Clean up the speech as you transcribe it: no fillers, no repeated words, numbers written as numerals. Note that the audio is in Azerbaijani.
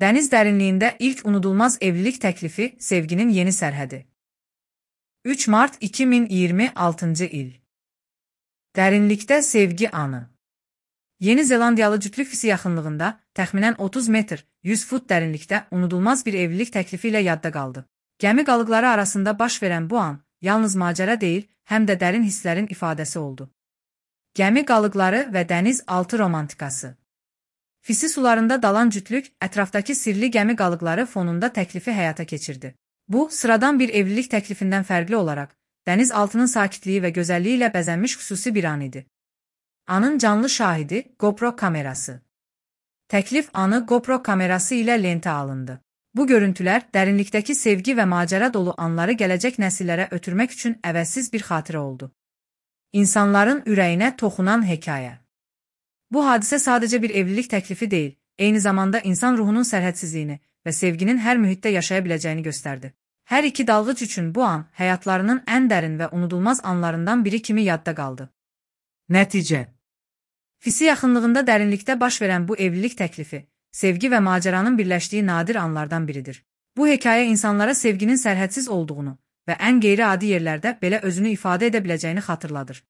Dəniz dərinliyində ilk unudulmaz evlilik təklifi, sevginin yeni sərhədi. 3 mart 2026-cı il. Dərinlikdə sevgi anı. Yeni Zelandiyalı cütlük Fisi yaxınlığında, təxminən 30 metr, 100 fut dərinlikdə unudulmaz bir evlilik təklifi ilə yadda qaldı. Gəmi qalıqları arasında baş verən bu an, yalnız macəra deyil, həm də dərin hisslərin ifadəsi oldu. Gəmi qalıqları və dəniz altı romantikası. Fisi sularında dalan cütlük, ətrafdakı sirli gəmi qalıqları fonunda təklifi həyata keçirdi. Bu, sıradan bir evlilik təklifindən fərqli olaraq, dəniz altının sakitliyi və gözəlliyi ilə bəzənmiş xüsusi bir an idi. Anın canlı şahidi, GoPro kamerası. Təklif anı GoPro kamerası ilə lentə alındı. Bu görüntülər, dərinlikdəki sevgi və macəra dolu anları gələcək nəsillərə ötürmək üçün əvəzsiz bir xatirə oldu. İnsanların ürəyinə toxunan hekayə. Bu hadisə sadəcə bir evlilik təklifi deyil, eyni zamanda insan ruhunun sərhədsizliyini və sevginin hər mühitdə yaşaya biləcəyini göstərdi. Hər iki dalğıc üçün bu an həyatlarının ən dərin və unudulmaz anlarından biri kimi yadda qaldı. Nəticə. Fisi yaxınlığında dərinlikdə baş verən bu evlilik təklifi, sevgi və macəranın birləşdiyi nadir anlardan biridir. Bu hekayə insanlara sevginin sərhədsiz olduğunu və ən qeyri-adi yerlərdə belə özünü ifadə edə biləcəyini xatırladır.